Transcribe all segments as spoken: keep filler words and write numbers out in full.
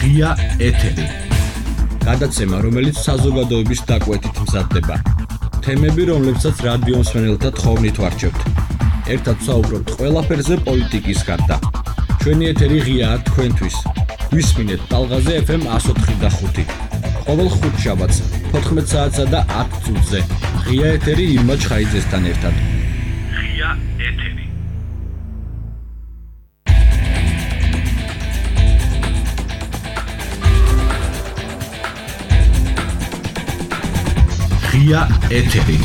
ღია ეთერი. გადაცემა, რომელიც საზოგადოების დაკვეთით მზადდება. თემები, რომლებსაც რადიო მსმენელთა თხოვნით ვარჩევთ. ერთად საუბრობთ ყველაფერზე პოლიტიკის გარდა. ჩვენი ეთერი ღიაა თქვენთვის. გვისმინეთ ტალღაზე ეფ ემ εκατო ოთხი და ხუთი. ყოველ ხუთშაბათს თოთხმეტ საათსა და ათ წუთზე. ღია ეთერი ირმა ჩხაიძესთან ერთად. ღია ეთერი. ღია ეთერი.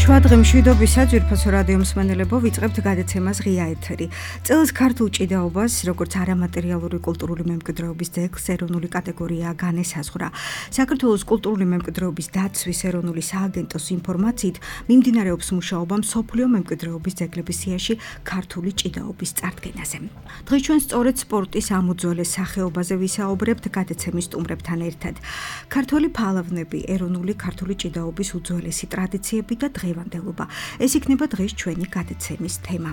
შუადღე მშვიდობისა, ძვირფასო რადიო მსმენელებო, ვიწყებთ გადაცემას ღია ეთერი. წელს ქართულ ჭიდაობას, როგორც არამატერიალური კულტურული მემკვიდრეობის ძეგლს ეროვნული კატეგორია განესაზღვრა. საქართველოს კულტურული მემკვიდრეობის დაცვის ეროვნული სააგენტოს ინფორმაციით, მიმდინარეობს მუშაობა მსოფლიო მემკვიდრეობის ძეგლების სიაში ქართული ჭიდაობის წარდგენაზე. დღეს ჩვენ სწორედ სპორტის ამ უძველეს სახეობაზე ვისაუბრებთ გადაცემის სტუმრებთან ერთად. ქართველი ფალავნები, ეროვნული ქართული ჭიდაობის უძველესი ტრადიციები და დღე ეს იქნება დღეს ჩვენი გადაცემის თემა.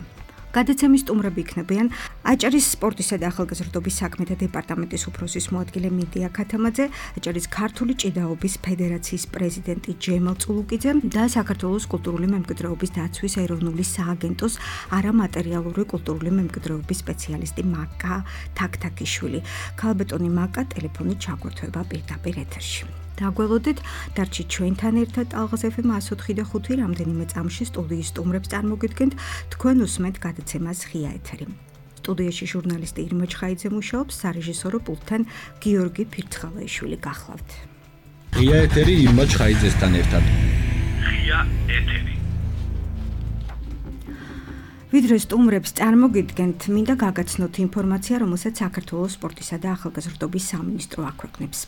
გადაცემის სტუმრები იქნებიან აჭარის სპორტისა და ახალგაზრდობის საქმეთა დეპარტამენტის უფროსის მოადგილე მიდია ქათამაძე, აჭარის ქართული ჭიდაობის ფედერაციის პრეზიდენტი ჯემალ წულუკიძე და საქართველოს კულტურული მემკვიდრეობის დაცვის ეროვნული სააგენტოს არამატერიალური კულტურული მემკვიდრეობის სპეციალისტი მაკა თაქთაქიშვილი. ქალბატონი მაკა ტელეფონით ჩაგვერთვება პირდაპირ ეთერში. დაგველოდეთ, დარჩით ჩვენთან ერთად ტალღაზე ეფ ემ εκατო ოთხი და ხუთი რამდენიმე წამში სტუდიის სტუმრებს წარმოგიდგენთ, თქვენ უსმენთ გადაცემას ღია ეთერი. სტუდიაში ჟურნალისტი ირმა ჩხაიძე მუშაობს, სარეჟისორო პულტთან გიორგი ფირცხალაიშვილი გახლავთ. ღია ეთერი ირმა ჩხაიძესთან ერთად. ღია ეთერი. ვიდრე სტუმრებს წარმოგიდგენთ, მინდა გაგაცნოთ ინფორმაცია, რომელსაც საქართველოს სპორტისა და ახალგაზრდობის სამინისტრო აქვეყნებს.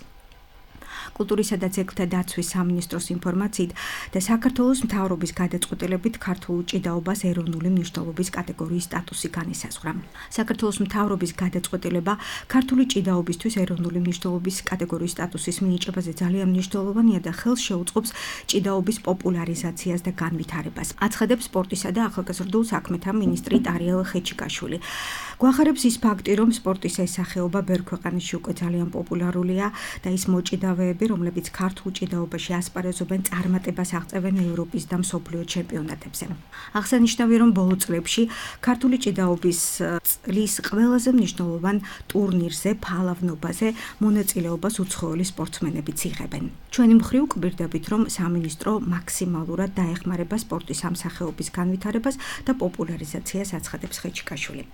კულტურისა და ძეგლთა დაცვის სამინისტროს ინფორმაციით და საქართველოს მთავრობის გადაწყვეტილებით ქართულ ჭიდაობას ეროვნული მნიშვნელობის კატეგორიის სტატუსი განესაზღვრა. საქართველოს მთავრობის გადაწყვეტილება ქართული ჭიდაობისთვის ეროვნული მნიშვნელობის კატეგორიის სტატუსის მინიჭებაზე ძალიან მნიშვნელოვანია და ხელს შეუწყობს ჭიდაობის პოპულარიზაციას და განვითარებას. აცხადებს სპორტისა და ახალგაზრდულ საქმეთა მინისტრი ტარიელ ხეჩიკაშვილი. გვახარებს ის ფაქტი, რომ სპორტის ეს სახეობა ბევრ ქვეყანაში უკვე ძალიან პოპულარულია და ის მოჭიდავეები, რომლებიც ქართულ ჭიდაობაში ასპარეზობენ, წარმატებას აღწევენ ევროპის და მსოფლიო ჩემპიონატებზე. აღსანიშნავია, რომ ბოლო წლებში ქართული ჭიდაობის წლის ყველაზე მნიშვნელოვან ტურნირზე, ფალავნობაზე მონაწილეობას უცხოელი სპორტსმენებიც იღებენ. ჩვენი მხრივ გვირდებით, რომ სამინისტრო მაქსიმალურად დაეხმარება სპორტის ამ სახეობის განვითარებას და პოპულარიზაციას, აცხადებს ხეჩიკაშვილი.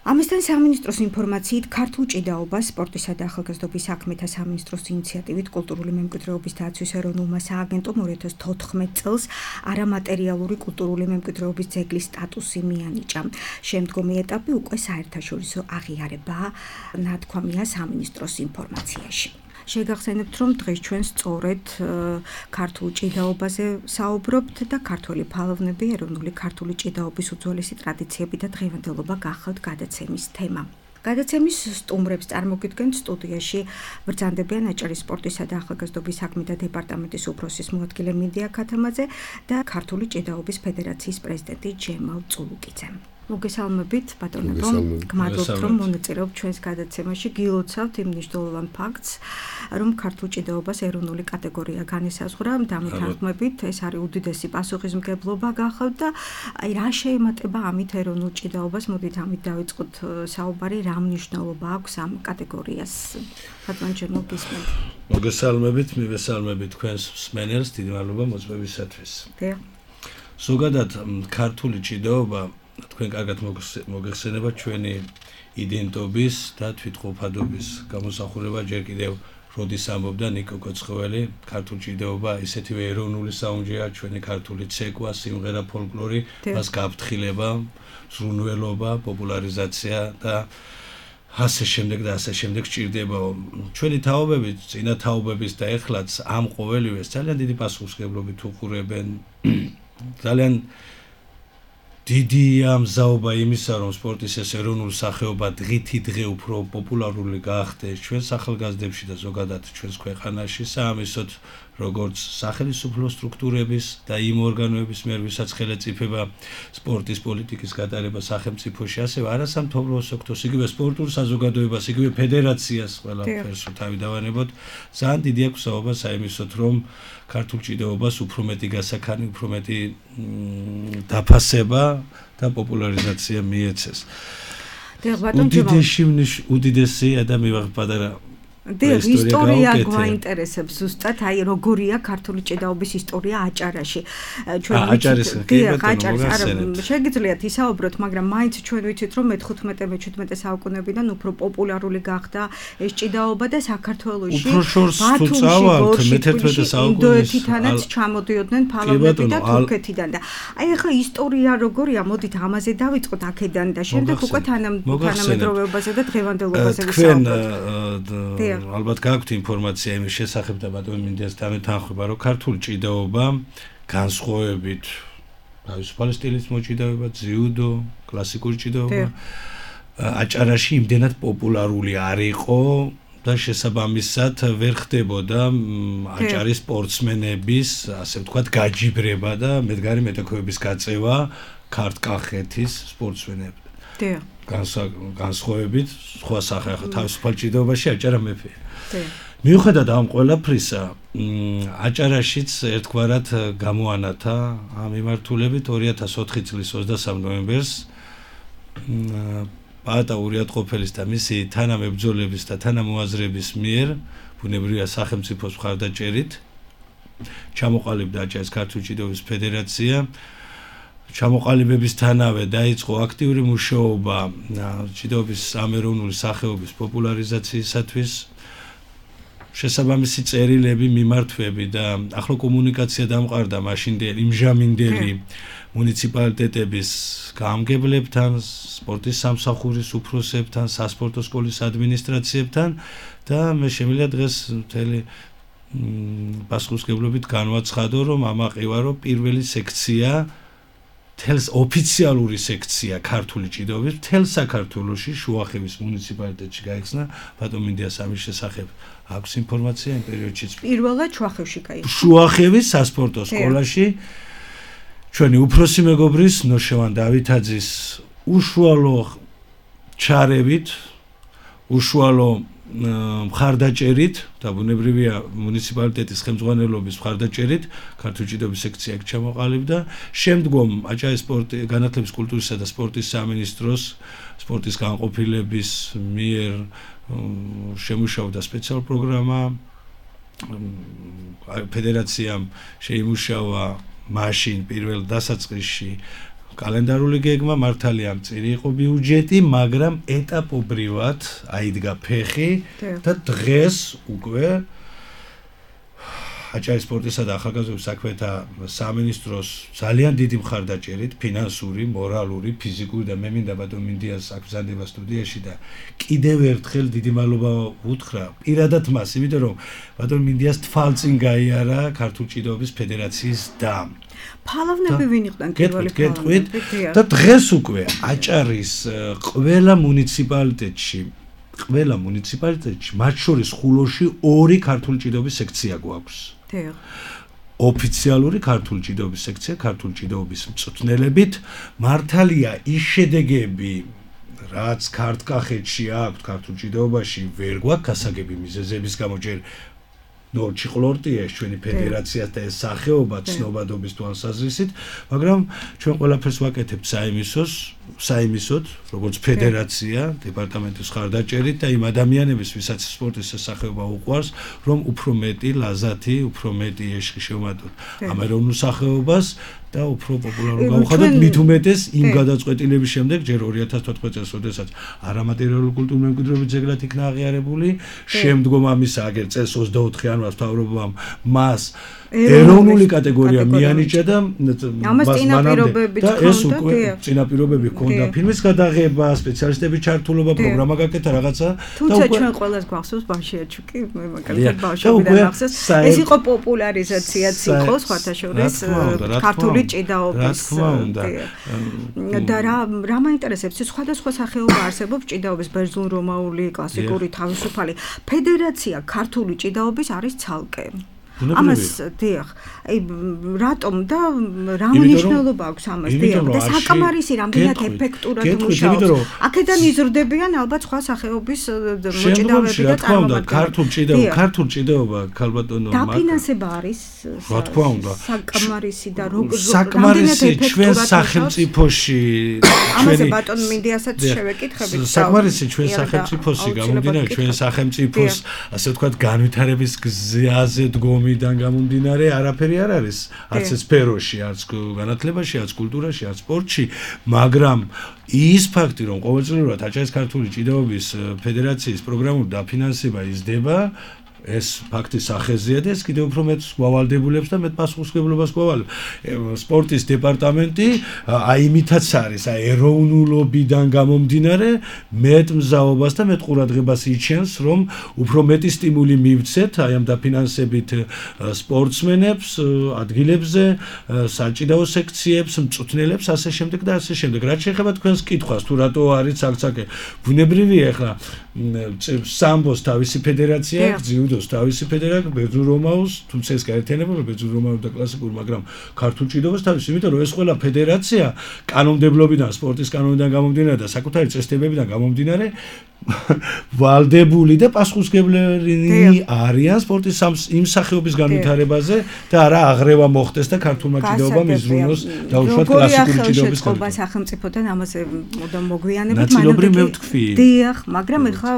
ამისთან სამინისტროს ინფორმაციით ქართულ ჭიდაობას სპორტისა და ახალგაზრდობის საქმეთა სამინისტროს ინიციატივით კულტურული მემკვიდრეობის დაცვის ეროვნულმა სააგენტომ ორი ათას თოთხმეტ წელს არამატერიალური კულტურული მემკვიდრეობის ძეგლის სტატუსი მიანიჭა. შემდგომი ეტაპი უკვე საერთაშორისო აღიარებაა, ნათქვამია სამინისტროს ინფორმაციაში. შეგახსენებთ, რომ დღეს ჩვენ სწორედ ქართულ ჭიდაობაზე საუბრობთ და ქართველი ფალავნები, ეროვნული ქართული ჭიდაობის უძველესი ტრადიციები და დღევანდელობა გახლავთ გადაცემის თემა. გადაცემის სტუმრებს წარმოგიდგენთ, სტუდიაში ბრძანდებიან აჭარის სპორტისა და ახალგაზრდობის საქმეთა დეპარტამენტის უფროსის მოადგილე მიდია ქათამაძე და ქართული ჭიდაობის ფედერაციის პრეზიდენტი ჯემალ წულუკიძე. მოგესალმებით, ბატონებო, გმადლობთ, რომ მონაწილეობთ ჩვენს გადაცემაში. გილოცავთ იმ მნიშვნელოვან ფაქტს, რომ ქართულ ჭიდაობას ეროვნული კატეგორია განესაზღვრა. დამეთანხმებით, ეს არის უდიდესი პასუხისმგებლობა გახლავთ და აი რა შეემატება ამით ეროვნულ ჭიდაობას? მოდით ამით დავიწყოთ საუბარი, რა მნიშვნელობა აქვს ამ კატეგორიას? ბატონ ჯემალ, გისმენთ. მოგესალმებით, მივესალმებით თქვენს მსმენელს, დიდი მადლობა მოწვევისათვის. დიახ. ზოგადად ქართული ჭიდაობა თქვენ კარგად მოგეხსენება ჩვენი იდენტობის და თვითყოფადობის გამოსახულება. ჯერ კიდევ როდის ამბობდა ნიკო კოცხოველი, ქართული ჭიდაობა ისეთივე ეროვნული საუნჯეა, ჩვენი ქართული ცეკვა, სიმღერა, ფოლკლორი, მას გაფრთხილება, ზრუნველობა, პოპულარიზაცია და ასე შემდეგ და ასე შემდეგ სჭირდება. ჩვენი თაობები, წინა თაობების და ეხლაც ამ ყოველივეს ძალიან დიდი პასუხისმგებლობით უყურებენ. ძალიან დიდია მზაობა იმისა, რომ სპორტის ეს ეროვნული სახეობა დღითი დღე უფრო პოპულარული გახდეს ჩვენს ახალგაზრდებში და ზოგადად ჩვენს ქვეყანაში, საამისოდ როგორც სახელმწიფო სტრუქტურების და იმ ორგანოების მიერ, ვისაც ხელეწიფება სპორტის პოლიტიკის გატარება სახელმწიფოში, ასევე არასამთავრობო სექტორს, იგივე სპორტულ საზოგადოებას, იგივე ფედერაციას ყველაფერს თავი დავანებოთ, ძალიან დიდი აქვს საუბარ საიმისოდ, რომ ქართულ ჭიდაობას უფრო მეტი გასაქანი, უფრო მეტი დაფასება და პოპულარიზაცია მიეცეს. უდიდესი უდიდესი ადამიანი პატარა დიახ, ისტორია გვაინტერესებს ზუსტად, აი როგორია ქართული ჭიდაობის ისტორია აჭარაში. ჩვენ ვიცით, დიახ, აჭარის არა შეგიძლიათ ისაუბროთ, მაგრამ მაინც ჩვენ ვიცით, რომ მე-თხუთმეტე მე-შვიდმეტე საუკუნეებიდან უფრო პოპულარული გახდა ეს ჭიდაობა და საქართველოში ბათუმში, მე-თერთმეტე საუკუნის ინდოეთიდანაც ჩამოდიოდნენ ფალავნები და თურქეთიდან და აი ახლა ისტორია როგორია, მოდით ამაზე დავიწყოთ აქედან და შემდეგ უკვე თანამედროვეობაზე და დღევანდელობაზე ვისაუბროთ. ალბათ გაქვთ ინფორმაცია იმის შესახებ და ბატონ მინდიას დამეთანხმება, რომ ქართული ჭიდაობა განსხვავებით თავისუფალი სტილის მოჭიდაობა, ძიუდო, კლასიკური ჭიდაობა აჭარაში იმდენად პოპულარული არ იყო და შესაბამისად ვერ ხდებოდა აჭარის სპორტსმენების, ასე ვთქვათ, გაჯიბრება და მედგარი მეტოქეების გაწევა ქართკახეთის სპორტსმენებთან. დიახ. განსხვავებით სხვა სახე თავისუფალ ჭიდაობაში აჭარა მეფე. მიუხედავად ამ ყველაფრისა, აჭარაშიც ერთგვარად გამოანათა ამ მიმართულებით ორი ათას ოთხი წლის ოცდასამ ნოემბერს პაატა ურიატყოფელის და მისი თანამებრძოლების და თანამოაზრების მიერ ბუნებრივია სახელმწიფოს მხარდაჭერით ჩამოყალიბდა აჭარის ქართული ჭიდაობის ფედერაცია. ჩამოყალიბებისთანავე დაიწყო აქტიური მუშაობა ჭიდაობის ამეროვნული სახეობის პოპულარიზაციისათვის. შესაბამისი წერილები, მიმართვები და ახლო კომუნიკაცია დამყარდა მაშინდელი იმჟამინდელი მუნიციპალიტეტების გამგებლებთან, სპორტის სამსახურის უფროსებთან, სასპორტო სკოლის ადმინისტრაციებთან და მე შემიძლია დღეს მთელი პასუხისმგებლობით განვაცხადო, რომ ამაყივარო პირველი სექცია თელს ოფიციალური სექცია ქართული ჭიდაობის თელ საქართველოში შუახევის მუნიციპალიტეტში გაიხსნა. ბატონ მინდიას ამის შესახებ აქვს ინფორმაცია იმ პერიოდშიც. პირველად შუახევში გაიხსნა. შუახევის სასპორტო სკოლაში ჩვენი უფროსი მეგობრის ნოშევან დავითაძის უშუალო ჩარევით, უშუალო მხარდაჭერით და ბუნებრივია მუნიციპალიტეტის ხელმძღვანელობის მხარდაჭერით ქართული ჭიდაობის სექცია იქ ჩამოყალიბდა. შემდგომ აჭარის სპორტი, განათლების, კულტურისა და სპორტის სამინისტროს სპორტის განყოფილების მიერ შემუშავდა სპეციალური პროგრამა. ფედერაციამ შეიმუშავა მაშინ პირველ დასაწყისში კალენდარული გეგმა, მართალია მწირი იყო ბიუჯეტი, მაგრამ ეტაპობრივად აიდგა ფეხი და დღეს უკვე აჭარის სპორტისა და ახალგაზრდობის საქმეთა სამინისტროს ძალიან დიდი მხარდაჭერით, ფინანსური, მორალური, ფიზიკური და მე მინდა ბატონ მინდიას აკრძალება სტუდიაში და კიდევ ერთხელ დიდი მადლობა უთხრა პირადად მას, იმიტომ რომ ბატონ მინდიას თვალწინ გაიარა ქართული ჭიდაობის ფედერაციის და ფალავნები ვინ იყვნენ პირველი ფალავნები და დღეს უკვე აჭარის ყველა მუნიციპალიტეტში ყველა მუნიციპალიტეტში მათ შორის ხულოში ორი ქართული ჭიდაობის სექცია გვაქვს. ოფიციალური ქართული ჭიდაობის სექცია ქართული ჭიდაობის მწვრთნელებით. მართალია ის შედეგები რაც ქართკახეთში აქვს ქართულ ჭიდაობაში ვერ გვაქვს გასაგები მიზეზების გამო ჯერ ნორჩი ყლორტიეს ჩვენი ფედერაციას და ეს სახეობა ცნობადობის თვალსაზრისით, მაგრამ ჩვენ ყველაფერს ვაკეთებთ საიმისოს, საიმისოდ, როგორც ფედერაცია, დეპარტამენტის მხარდაჭერით და იმ ადამიანების, ვისაც სპორტის სახეობა უყვარს, რომ უფრო მეტი ლაზათი, უფრო მეტი ეშხი შევმატოთ ამ ეროვნულ სახეობას და უფრო პოპულარულ გავხადოთ მით უმეტეს იმ გადაწყვეტილების შემდეგ ჯერ ორი ათას თოთხმეტ წელს, როდესაც არამატერიალური კულტურული მემკვიდრეობის ძეგლად იქნა აღიარებული, შემდგომ ამისა აგერ წელს ოცდაოთხი ანვარს მთავრობამ მას ეროვნული კატეგორია მიანიჭა და ამას წინაპირობები და ეს უკვე წინაპირობები ჰქონდა ფილმის გადაღება, სპეციალისტების ჩართულობა, პროგრამა გაკეთა რაღაცა და უკვე ჩვენ ყველას გვახსოვს ბავშვიაჩუკი, მე მაგალითად ბავშვობიდან ახსოვს. ეს იყო პოპულარიზაციაც იყო სხვათა შორის ქართული ქართული ჭიდაობის. რა თქმა უნდა. და რა რა მაინტერესებს, სხვადასხვა სახეობა არსებობს ჭიდაობის, ბერძნულ-რომაული, კლასიკური, თავისუფალი. ფედერაცია ქართული ჭიდაობის არის ცალკე. ამას დიახ, აი რატომ და რა მნიშვნელობა აქვს ამას დიახ და საკმარისი რამდენად ეფექტურად მუშაობს. აქედან იზრდებიან ალბათ სხვა სახეობის მოჭიდავეები და წარმოადგენლები. ქართულ ჭიდაობა, ქართულ ჭიდაობა ქალბატონო დაფინანსება არის რა თქმა უნდა საკმარისი და როგორ საკმარისი ჩვენ სახელმწიფოში ამაზე ბატონ მინდიასაც შევეკითხებით. საკმარისი ჩვენ სახელმწიფოში გამომდინარე ჩვენ სახელმწიფოს ასე ვთქვათ განვითარების გზაზე დგომი მიდან გამომდინარე არაფერი არ არის არც სფეროში, არც განათლებაში, არც კულტურაში, არც სპორტში, მაგრამ ის ფაქტი, რომ ყოველწლიურად აჭარის ქართული ჭიდაობის ფედერაციის პროგრამული დაფინანსება იზრდება, ეს ფაქტი სახეზეა და ეს კიდევ უფრო მეტ გვავალდებულებს და მეტ პასუხისმგებლობას გვავალებს. სპორტის დეპარტამენტი აი იმითაც არის, აი ეროვნულობიდან გამომდინარე მეტ მზაობას და მეტ ყურადღებას იჩენს, რომ უფრო მეტი სტიმული მივცეთ აი ამ დაფინანსებით სპორტსმენებს, ადგილებზე, საჭიდაო სექციებს, მწვრთნელებს, ასე შემდეგ და ასე შემდეგ. რაც შეეხება თქვენს კითხვას, თუ რატო არის ცალ-ცალკე, ბუნებრივია ახლა სამბოს თავისი ფედერაცია, ძიუდოს თავისი ფედერაცია, ბერძნულ-რომაულს, თუმცა ეს გაერთიანებული ბერძნულ-რომაული და კლასიკური, მაგრამ ქართულ ჭიდაობას თავისი, იმიტომ რომ ეს ყველა ფედერაცია კანონმდებლობიდან, სპორტის კანონიდან გამომდინარე და საკუთარი წესდებებიდან გამომდინარე ვალდებული და პასუხისმგებლები არიან სპორტის იმ სახეობის განვითარებაზე და არა აღრევა მოხდეს და ქართულმა ჭიდაობამ იზრუნოს და უშუალოდ კლასიკური ჭიდაობის განვითარება. სახელმწიფოდან ამაზე მოდამ მოგვიანებით ნაწილობრივ მე ვთქვი. დიახ, მაგრამ ეხლა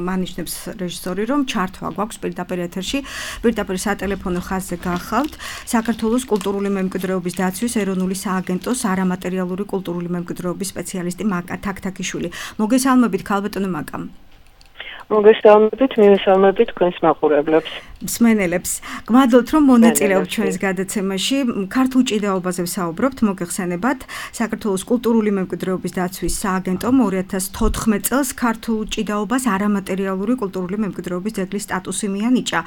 მანიშნებს რეჟისორი, რომ ჩართვა გვაქვს პირდაპირ ეთერში, პირდაპირ სატელეფონო ხაზზე გახავთ საქართველოს კულტურული მემკვიდრეობის დაცვის ეროვნული სააგენტოს არამატერიალური კულტურული მემკვიდრეობის სპეციალისტი მაკა თაქთაქიშვილი. მოგესალმებით ქალბატონო მაკა. მოგესალმებით, მივესალმებით თქვენს მაყურებლებს. მსმენელებს. გმადლობთ, რომ მონაწილეობთ ჩვენს გადაცემაში. ქართულ ჭიდაობაზე ვსაუბრობთ, მოგეხსენებათ, საქართველოს კულტურული მემკვიდრეობის დაცვის სააგენტომ ორი ათას თოთხმეტ წელს ქართულ ჭიდაობას არამატერიალური კულტურული მემკვიდრეობის ძეგლის სტატუსი მიანიჭა.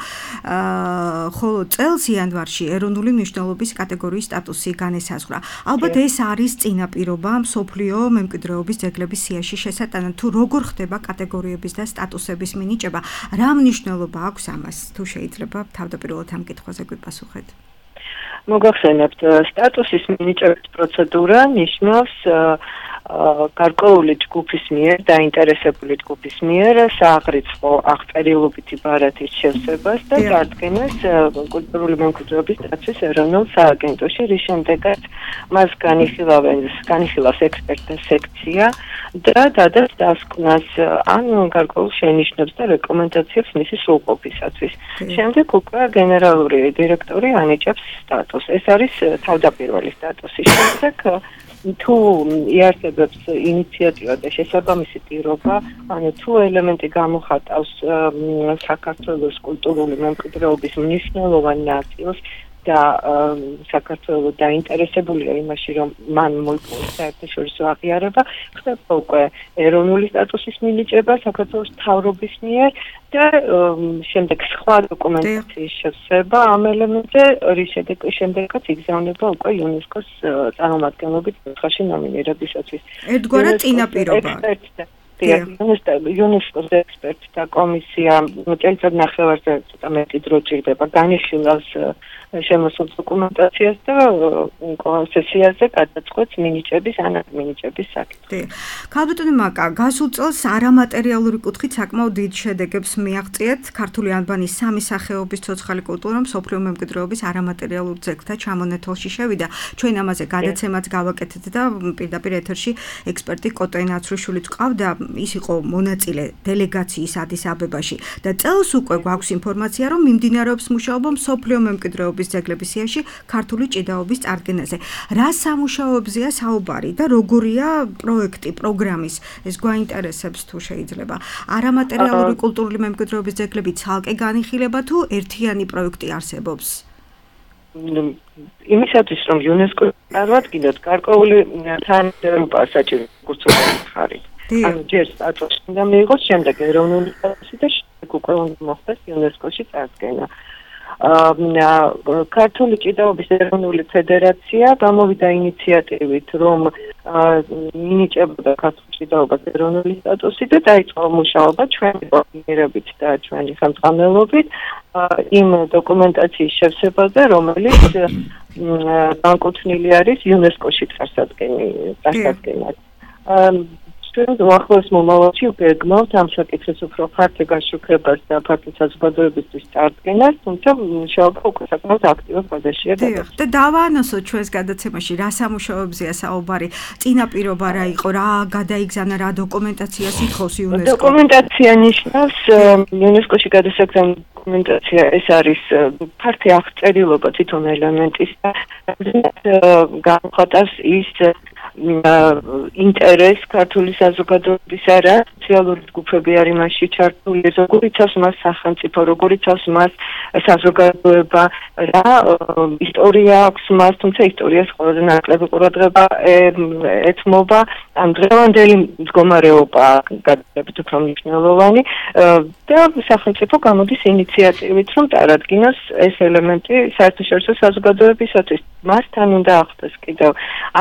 ხოლო წელს იანვარში ეროვნული მნიშვნელობის კატეგორიის სტატუსი განესაზღვრა. ალბათ ეს არის წინაპირობა მსოფლიო მემკვიდრეობის ძეგლების სიაში შესატანად, თუ როგორ ხდება კატეგორიების და სტატუსების მინიჭება, რა მნიშვნელობა აქვს ამას, თუ შეიძლება თავდაპირველად ამ კითხვაზე გვიპასუხეთ. მოგახსენებთ, სტატუსის მინიჭების პროცედურა ნიშნავს გარკვეული ჯგუფის მიერ, დაინტერესებული ჯგუფის მიერ სააღრიცხვო აღწერილობითი ბარათის შევსებას და წარდგენას კულტურული მემკვიდრეობის დაცვის ეროვნულ სააგენტოში, რის შემდეგაც მას განიხილავენ, განიხილავს ექსპერტთა სექცია და დადას დასკვნას ან გარკვეულ შენიშვნებს და რეკომენდაციებს მისი სრულყოფისათვის. შემდეგ უკვე გენერალური დირექტორი ანიჭებს სტატუსს. ეს არის თავდაპირველი სტატუსი. შემდეგ თუ იარსებებს ინიციატივა და შესაბამისი პირობა, ანუ თუ ელემენტი გამოხატავს საქართველოს კულტურული მემკვიდრეობის მნიშვნელოვან ნაწილს და საქართველოს დაინტერესებულია იმაში, რომ მან მოიპოვოს საერთაშორისო აღიარება, ხდება უკვე ეროვნული სტატუსის მინიჭება საქართველოს მთავრობის მიერ და შემდეგ სხვა დოკუმენტაციის შევსება ამ ელემენტზე, რის შემდეგაც იგზავნება უკვე იუნესკოს წარმომადგენლობით ხალხში ნომინირებისათვის. ერთგვარად წინაპირობა. იუნესკოს ექსპერტთა კომისია წელიწად ნახევარზე ცოტა მეტი დრო ჭირდება, განიხილავს შემოსულ დოკუმენტაციას და სესიაზე გადაწყვეტს მინიჭების ან მინიჭების საკითხი. ქალბატონო მაკა, გასულ წელს არამატერიალური კუთხით საკმაოდ დიდ შედეგებს მიაღწიეთ ქართული ანბანის სამი სახეობის ცოცხალი კულტურა მსოფლიო მემკვიდრეობის არამატერიალურ ძეგლთა ჩამონეთოლში შევიდა. ჩვენ ამაზე გადაცემაც გავაკეთეთ და პირდაპირ ეთერში ექსპერტი კოტე ნაცრიშვილიც ყავდა, ის იყო მონაწილე დელეგაციის ადის აბებაში და წელს უკვე გვაქვს ინფორმაცია, რომ მიმდინარეობს მუშაობა მსოფლიო მემკვიდრეობის ძეგლების სიაში ქართული ჭიდაობის წარდგენაზე. რა სამუშაოებზეა საუბარი და როგორია პროექტი, პროგრამის? ეს გვაინტერესებს თუ შეიძლება. არამატერიალური კულტურული მემკვიდრეობის ძეგლები ცალკე განიხილება თუ ერთიანი პროექტი არსებობს? იმისათვის, რომ იუნესკო წარმოადგინოთ, გარკვეული თანამდებობა საჭირო ხარი. ანუ ჯერ სტატუსი უნდა მიიღოს, შემდეგ ეროვნული სტატუსი და შემდეგ უკვე უნდა მოხდეს იუნესკოში წარდგენა. ქართული ჭიდაობის ეროვნული ფედერაცია გამოვიდა ინიციატივით, რომ მინიჭებოდა ქართული ჭიდაობას ეროვნული სტატუსი და დაიწყო მუშაობა ჩვენი კოორდინირებით და ჩვენი ხელმძღვანელობით იმ დოკუმენტაციის შევსებაზე, რომელიც განკუთვნილი არის იუნესკოში წარსადგენად. ჩვენ უახლოეს მომავალში ვგეგმავთ ამ საკითხის უფრო ფართო გაშუქებას და ფართო საზოგადოებისთვის წარდგენას, თუმცა მუშაობა უკვე საკმაოდ აქტიურ ფაზაშია გადასული. და დავაანონსოთ ჩვენს გადაცემაში, რა სამუშაოებზეა საუბარი, წინაპირობა რა იყო, რა გადაიგზავნა, რა დოკუმენტაციას ითხოვს იუნესკო? დოკუმენტაცია ნიშნავს იუნესკოში გადასაგზავნილი დოკუმენტაცია, ეს არის ფართი აღწერილობა თვითონ ელემენტის და განხატავს ის ინტერესს ქართული საზოგადოების არა სოციალური ჯგუფები არის მასში ჩართული, როგორ იცავს მას სახელმწიფო, როგორ იცავს მას საზოგადოება, რა ისტორია აქვს მას, თუმცა ისტორიას ყველაზე ნაკლები ყურადღება ეთმობა, ამ დღევანდელი მდგომარეობა გადადებით უფრო მნიშვნელოვანი და სახელმწიფო გამოდის ინიციატივით, რომ წარადგინოს ეს ელემენტი საერთაშორისო საზოგადოებისათვის. მასთან უნდა ახდოს კიდევ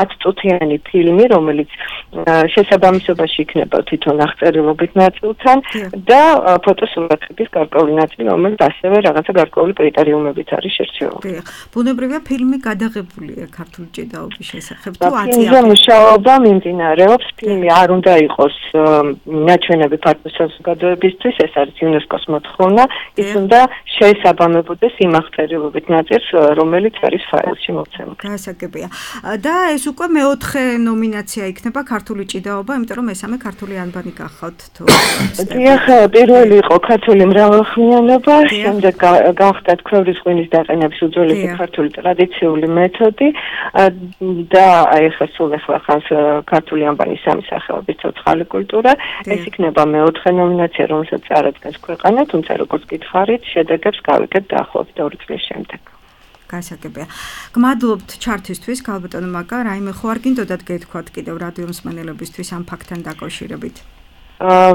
ათწუთიანი ფილმი, რომელიც შესაბამისობაში იქნება თვითონ აღწერილობით ნაწილთან და ფოტოსურათების გარკვეული ნაწილი, რომელიც ასევე რაღაცა გარკვეული კრიტერიუმებით არის შერჩეული. ბუნებრივია ფილმი გადაღებულია ქართული ჭიდაობის შესახებ თუ აწია. ფილმზე მუშაობა მიმდინარეობს, ფილმი არ უნდა იყოს ნაჩვენები ფართო საზოგადოებისთვის, ეს არის იუნესკოს მოთხოვნა, ის უნდა შეესაბამებოდეს იმ აღწერილობით ნაწილს, რომელიც არის ფაილში მოცემული. გასაგებია. და ეს უკვე მეოთხე ნომინაცია იქნება ქართული ჭიდაობა, იმიტომ რომ მესამე ქართული ანბანი გახავთ თუ. დიახ, პირველი იყო ქართული მრავალხმიანობა, შემდეგ გახდა ქვევრის ღვინის დაყენების უძველესი ქართული ტრადიციული მეთოდი და აი ახლა სულ ახლა ხანს ქართული ანბანის სამი სახეობის ცოცხალი კულტურა. ეს იქნება მეოთხე ნომინაცია, რომელსაც წარადგენს ქვეყანა, თუმცა როგორც გითხარით, შედეგებს გავიგებთ დაახლოებით ორი წლის შემდეგ. გასაგებია. გმადლობთ ჩართვისთვის, ქალბატონო მაკა, რაიმე ხო არ გინდოდათ გეთქვათ კიდევ რადიო მსმენელებისთვის ამ ფაქტთან დაკავშირებით? აა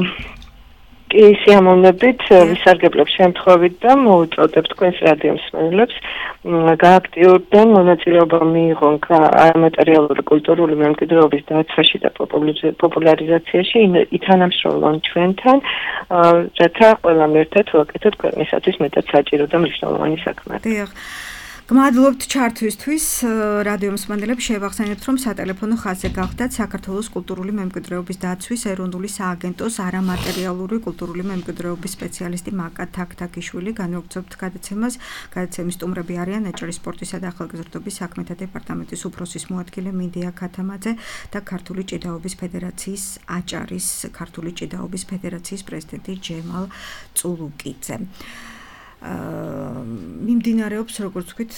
კი, სიამოვნებით ვისარგებლებ შემთხვევით და მოვუწოდებ თქვენს რადიო მსმენელებს გააქტიურდნენ მონაწილეობა მიიღონ არამატერიალური კულტურული მემკვიდრეობის დაცვაში და პოპულარიზაციაში, ითანამშრომლონ ჩვენთან, რათა ყველამ ერთად ვაკეთოთ ქვეყნისათვის მეტად საჭირო და მნიშვნელოვანი საქმე. დიახ. გმადლობთ ჩართვისთვის, რადიო მსმენელებს შევახსენებთ, რომ სატელეფონო ხაზზე გახდათ საქართველოს კულტურული მემკვიდრეობის დაცვის ეროვნული სააგენტოს არამატერიალური კულტურული მემკვიდრეობის სპეციალისტი მაკა თაქთაქიშვილი. განვაგრძობთ გადაცემას. გადაცემის სტუმრები არიან აჭარის სპორტისა და ახალგაზრდობის საქმეთა დეპარტამენტის უფროსის მოადგილე მინდია ქათამაძე და ქართული ჭიდაობის ფედერაციის აჭარის ქართული ჭიდაობის ფედერაციის პრეზიდენტი ჯემალ წულუკიძე. მიმდინარეობს, როგორც ვთქვით,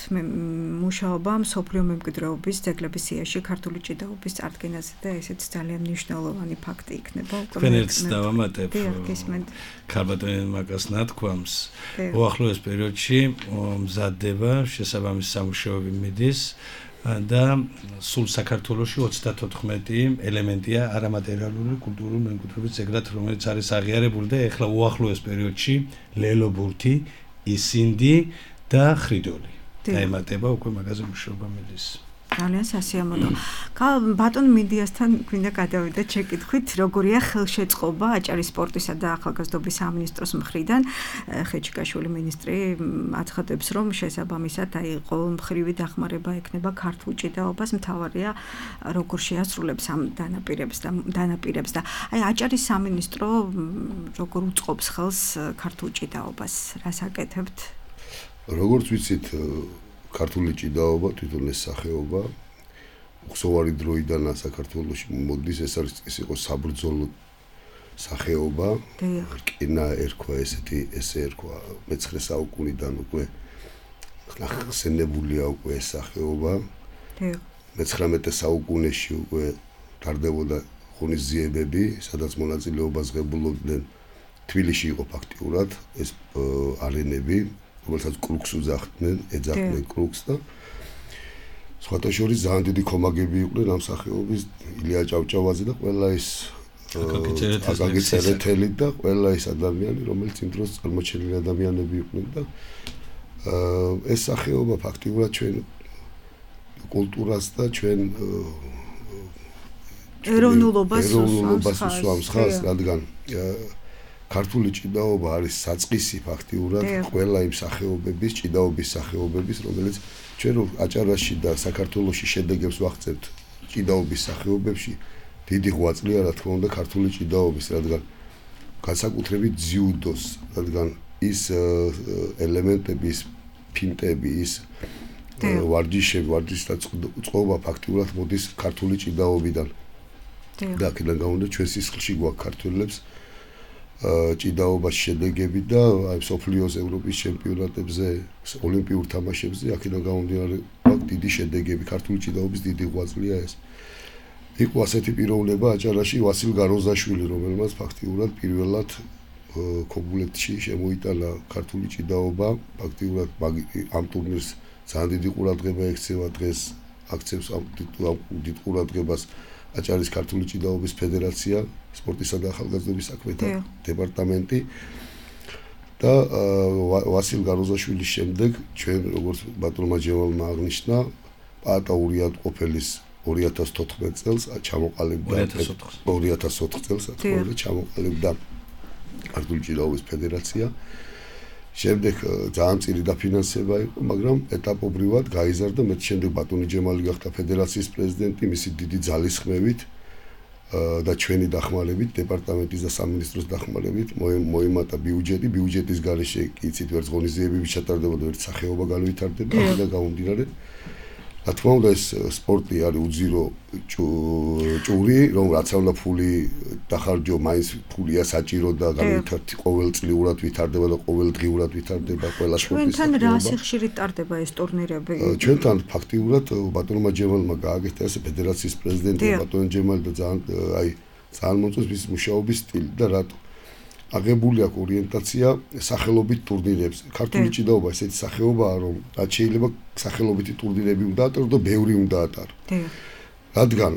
მუშაობა მსოფლიო მემკვიდრეობის ძეგლების სიაში ქართული ჭიდაობის წარდგენაზე და ესეც ძალიან მნიშვნელოვანი ფაქტი იქნება. თქვენერც დავამატებ ქალბატონ მაკას ნათქვამს. უახლოეს პერიოდში მზადდება შესაბამისი სამუშაოები მიდის და სულ საქართველოში ოცდათოთხმეტი ელემენტია არამატერიალური კულტურული მემკვიდრეობის ძეგლად, რომელიც არის აღიარებული და ეხლა უახლოეს პერიოდში ლელობურთი, ისინდი და ხრიდოლი. დაემატება უკვე მაგაზე მუშაობა მიდის. ძალიან სასიამოვნო. ბატონ მინდიასთან გვინდა გადავიდეთ შეკითხვით, როგორია ხელშეწყობა აჭარის სპორტისა და ახალგაზრდობის სამინისტროს მხრიდან. ხეჩიკაშვილი მინისტრი აცხადებს, რომ შესაბამისად აი ყოველმხრივი დახმარება ექნება ქართულ ჭიდაობას, მთავარია როგორ შეასრულებს ამ დანაპირებს და დანაპირებს და აი აჭარის სამინისტრო როგორ უწყობს ხელს ქართულ ჭიდაობას, რას აკეთებთ? როგორც ვიცით, ქართული ჭიდაობა, თვითონ ეს სახეობა უხსოვარი დროიდან საქართველოში მოდის, ეს არის ეს იყო საბრძოლო სახეობა. რკინა ერქვა ესეთი, ესე ერქვა მეცხრე საუკუნიდან უკვე ხსენებულია უკვე ეს სახეობა. მეცხრამეტე საუკუნეში უკვე ტარდებოდა ღონისძიებები, სადაც მონაწილეობას ღებულობდნენ. თბილისში იყო ფაქტიურად ეს არენები, რომელსაც კრუქს უძახდნენ, ეძახდნენ კრუქს და სხვათა შორის ძალიან დიდი კომაგები იყვნენ ამ სახეობის ილია ჭავჭავაძე და ყველა ის აკაკი წერეთელი და ყველა ის ადამიანი, რომელიც იმ დროს წარმოჩენილი ადამიანები იყვნენ და ეს სახეობა ფაქტიურად ჩვენ კულტურას და ჩვენ ეროვნულობას ეროვნულობას უსვამს ხალხს, რადგან ქართული ჭიდაობა არის საწყისი ფაქტიურად ყველა იმ სახეობების, ჭიდაობის სახეობების, რომელიც ჩვენ აჭარაში და საქართველოში შედეგებს ვაღწევთ ჭიდაობის სახეობებში, დიდი ღვაწლია რა თქმა უნდა ქართული ჭიდაობის, რადგან განსაკუთრებით ძიუდოს, რადგან ის ელემენტები, ის ფინტები, ის ვარჯიშები, ვარჯიშთა წყობა ფაქტიურად მოდის ქართული ჭიდაობიდან. და აქედან გამომდინარე ჩვენ სისხლში გვაქვს ქართველებს ჭიდაობაში შედეგები და აი სოფლიოს ევროპის ჩემპიონატებზე, ოლიმპიურ თამაშებზე აქედან გამომდინარე გვაქვს დიდი შედეგები, ქართული ჭიდაობის დიდი ღვაწლია ეს. იყო ასეთი პიროვნება აჭარაში ვასილ გაროზაშვილი, რომელმაც ფაქტიურად პირველად ქობულეთში შემოიტანა ქართული ჭიდაობა, ფაქტიურად ამ ტურნირს ძალიან დიდი ყურადღება ექცევა დღეს, აქცევს ამ დიდ ყურადღებას აჭარის ქართული ჭიდაობის ფედერაცია, სპორტისა და ახალგაზრდობის საქმეთა დეპარტამენტი და ვასილ გაროზაშვილის შემდეგ ჩვენ როგორც ბატონმა ჯევალმა აღნიშნა, პაატა ურიატყოფელის ორი ათას თოთხმეტ წელს ჩამოყალიბდა ორი ათას ოთხ წელს თქო ჩამოყალიბდა ქართული ჭიდაობის ფედერაცია. შემდეგ ძალიან წილი დაფინანსება იყო, მაგრამ ეტაპობრივად გაიზარდა, მეტ შემდეგ ბატონი ჯემალი გახდა ფედერაციის პრეზიდენტი, მისი დიდი ძალისხმევით და ჩვენი დახმარებით, დეპარტამენტის და სამინისტროს დახმარებით მოიმატა ბიუჯეტი, ბიუჯეტის გარეშე კი იცით ვერც ღონისძიებები ჩატარდებოდა, ვერც სახეობა განვითარდება, და გამომდინარე რა თქმა უნდა ეს სპორტი არის უძირო ჭური, რომ რაც უნდა ფული დახარჯო, მაინც ფულია საჭირო და განვითარდება ყოველწლიურად ვითარდება და ყოველდღიურად ვითარდება ყველა სპორტის. ჩვენთან რა სიხშირით ტარდება ეს ტურნირები? ჩვენთან ფაქტიურად ბატონმა ჯემალმა გააკეთა ეს ფედერაციის პრეზიდენტი ბატონ ჯემალი და ძალიან აი ძალიან მომწონს მის მუშაობის სტილი და რატო აღებული აქვს ორიენტაცია სახელობით ტურნირებზე. ქართული ჭიდაობა ესეთი სახეობაა, რომ რაც შეიძლება სახელობითი ტურნირები უნდა ატარო და ბევრი უნდა ატარო. რადგან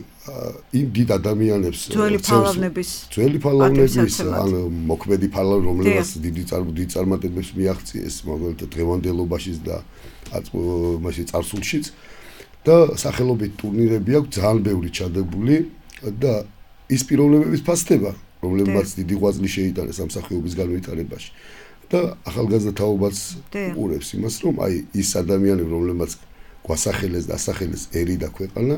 იმ დიდ ადამიანებს ძველი ფალავნების ძველი ფალავნების ან მოქმედი ფალავნები, რომლებიც დიდი დიდი წარმატებებს მიაღწიეს მაგალითად დღევანდელობაშიც და მასე წარსულშიც და სახელობით ტურნირები აქვს ძალიან ბევრი ჩადებული და ის პიროვნებების ფასდება რომლებმაც დიდი ღვაწლი შეიტანეს ამ სახეობის განვითარებაში და ახალგაზრდა თაობაც უყურებს იმას, რომ აი ის ადამიანები, რომლებმაც გვასახელეს და ასახელეს ერი და ქვეყანა,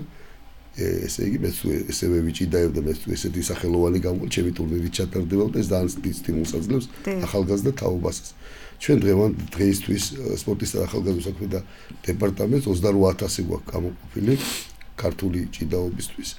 ესე იგი მეც ესევე ვიჭიდაებ და მეც ესეთი სახელოვანი გამო ჩემი ტურნირი ჩატარდება და ეს ძალიან დიდ სტიმულს აძლევს ახალგაზრდა თაობასაც. ჩვენ დღევანდ დღეისთვის სპორტისა და ახალგაზრდობის საქმეთა დეპარტამენტს ოცდაოთხ ათასი გვაქვს გამოყოფილი ქართული ჭიდაობისთვის.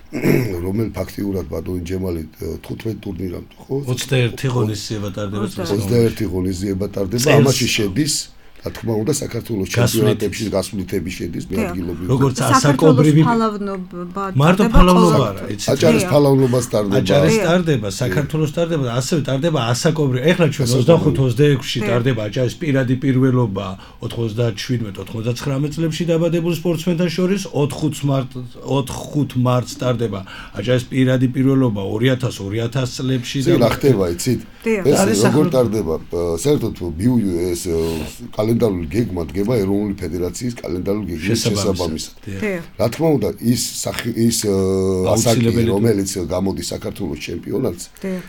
რომელ ფაქტიურად ბატონი ჯემალი თხუთმეტ ტურნირამდე ხო ოცდაერთი ღონისძიება ტარდება ოცდაერთი ღონისძიება ტარდება ამაში შედის რა თქმა უნდა საქართველოს ჩემპიონატებში გასვლითები შედის მეადგილობრივ როგორც ასაკობრივი ფალავნობა მარტო ფალავნობა არა იცით აჭარის ფალავნობას ტარდება აჭარის ტარდება საქართველოს ტარდება და ასევე ტარდება ასაკობრივი ეხლა ჩვენ ოცდახუთ ოცდაექვსში ტარდება აჭარის პირადი პირველობა ოთხმოცდაშვიდმეტ ოთხმოცდაცხრამეტ წლებში დაბადებულ სპორტსმენთან შორის ოთხ მარტს ტარდება აჭარის პირადი პირველობა ორი ათას ორი ათას წლებში და რა ხდება იცით ეს როგორ ტარდება საერთოდ ეს კალენდარული გეგმა დგება ეროვნული ფედერაციის კალენდარული გეგმის შესაბამისად. რა თქმა უნდა, ის ის ასაკი, რომელიც გამოდის საქართველოს ჩემპიონატს,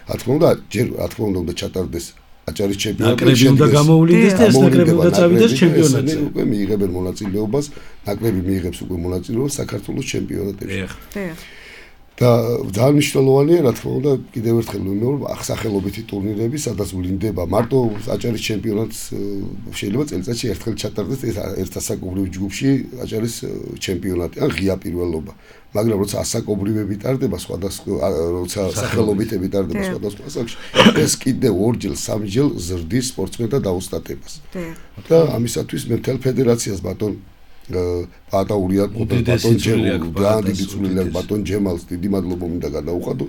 რა თქმა უნდა, ჯერ რა თქმა უნდა უნდა ჩატარდეს აჭარის ჩემპიონატი. ნაკრები უნდა გამოვლინდეს და ეს ნაკრები უნდა წავიდეს ჩემპიონატზე. უკვე მიიღებენ მონაწილეობას, ნაკრები მიიღებს უკვე მონაწილეობას საქართველოს ჩემპიონატებში. და ძალიან მნიშვნელოვანია, რა თქმა უნდა, კიდევ ერთხელ ვიმეორებ, ახსახელობითი ტურნირები, სადაც ვლინდება მარტო აჭარის ჩემპიონატს შეიძლება წელიწადში ერთხელ ჩატარდეს ეს ერთ ასაკობრივ ჯგუფში აჭარის ჩემპიონატი, ან ღია პირველობა. მაგრამ როცა ასაკობრივები ტარდება, სხვადასხვა როცა სახელობითები ტარდება სხვადასხვა ასაკში, ეს კიდევ ორჯერ, სამჯერ ზრდის სპორტსმენთა დაუსტატებას. და ამისათვის მე მთელ ფედერაციას ბატონ პაატა ურიატყოფილ ბატონ ჯემალს ძალიან დიდი წვლილი აქვს ბატონ ჯემალს დიდი მადლობა მინდა გადაუხადო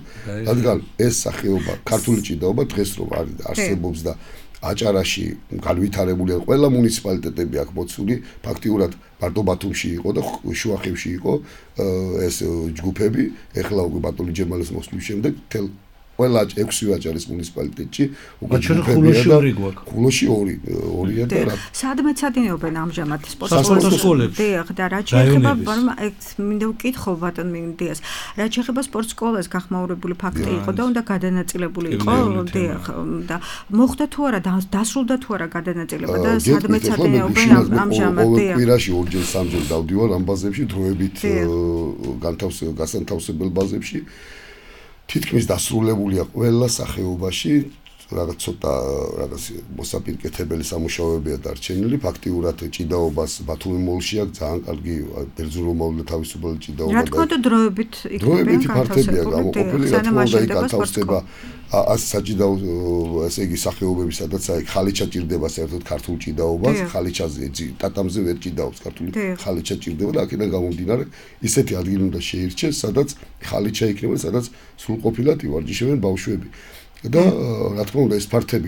რადგან ეს სახეობა ქართული ჭიდაობა დღეს რომ არსებობს და აჭარაში განვითარებულია ყველა მუნიციპალიტეტები აქვს მოცული ფაქტიურად მარტო ბათუმში იყო და შუახევში იყო ეს ჯგუფები ეხლა უკვე ბატონი ჯემალის მოსვლის შემდეგ თელ ყველა ექვსი ვაჭარის მუნიციპალიტეტში უკვე ჯგუფებია და ხულოში ორი ორია და რა სადმე ცადინეობენ ამჟამად სპორტის სკოლებში დიახ და რა შეიძლება მინდა ვკითხო ბატონ მინდიას რა შეიძლება სპორტ სკოლას გახმაურებული ფაქტი იყო და უნდა გადანაწილებული იყო დიახ და მოხდა თუ არა დასრულდა თუ არა გადანაწილება და სადმე ცადინეობენ ამჟამად დიახ კვირაში ორჯერ სამჯერ დავდივარ ამ ბაზებში დროებით განთავსებელ ბაზებში თითქმის დასრულებულია ყველა სახეობაში რაღაც ცოტა რაღაც მოსაპირკეთებელი სამუშაოებია დარჩენილი ფაქტიურად ჭიდაობას ბათუმი მოლში აქვს ძალიან კარგი ბერძნულოვანი თავისუფალი ჭიდაობა რა თქმა უნდა დროებით დროებით ფართებია გამოყოფილი რა თქმა უნდა იქ განთავსდება ას საჭიდაო ესე იგი სახეობები სადაც აი ხალიჩა ჭირდება საერთოდ ქართულ ჭიდაობას ხალიჩაზე ტატამზე ვერ ჭიდაობს ქართული ხალიჩა ჭირდება და აქედან გამომდინარე ისეთი ადგილი უნდა შეირჩეს სადაც ხალიჩა იქნება სადაც სრულყოფილად ივარჯიშებენ ბავშვები და რა თქმა უნდა ეს ფართები